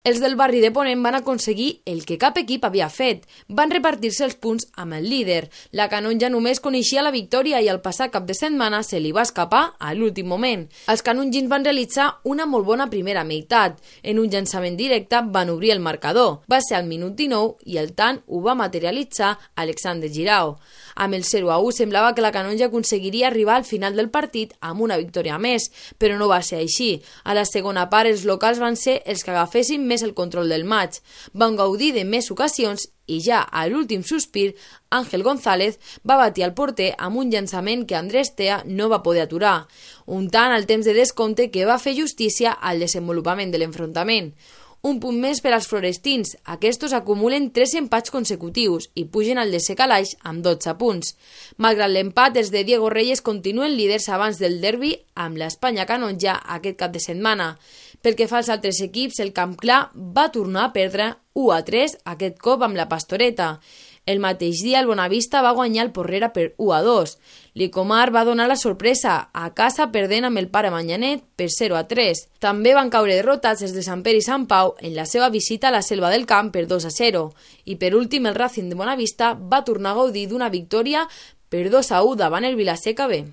Els del barri de Ponent van aconseguir el que cap equip havia fet. Van repartir-se els punts amb el líder. La Canonja només coneixia la victòria i el passat cap de setmana se li va escapar a l'últim moment. Els canongins van realitzar una molt bona primera meitat. En un llançament directe van obrir el marcador. Va ser al minut 19 i el tant ho va materialitzar Alexander Girao. Amb el 0-1 semblava que la Canonja aconseguiria arribar al final del partit amb una victòria més, però no va ser així. A la segona part els locals van ser els que agafessin més el control del maig. Van gaudir de més ocasions i ja a l'últim sospir, Ángel González va batir al porter amb un llançament que Andrés Tea no va poder aturar. Un tant al temps de descompte que va fer justícia al desenvolupament de l'enfrontament. Un punt més per als florestins. Aquests acumulen 3 empats consecutius i pugen al desè calaix amb 12 punts. Malgrat l'empat, els de Diego Reyes continuen líders abans del derbi amb l'Espanya Canonja aquest cap de setmana. Pel que fa als altres equips, el Camp Clar va tornar a perdre 1-3, aquest cop amb la Pastoreta. El mateix dia el Bonavista va guanyar el Porrera per 1-2. L'Icomar va donar la sorpresa a casa perdent amb el Pare Manyanet per 0-3. També van caure derrotats els de Sant Pere i Sant Pau en la seva visita a la Selva del Camp per 2-0. I per últim el Racing de Bonavista va tornar a gaudir d'una victòria per 2-1 davant el Vilaseca B.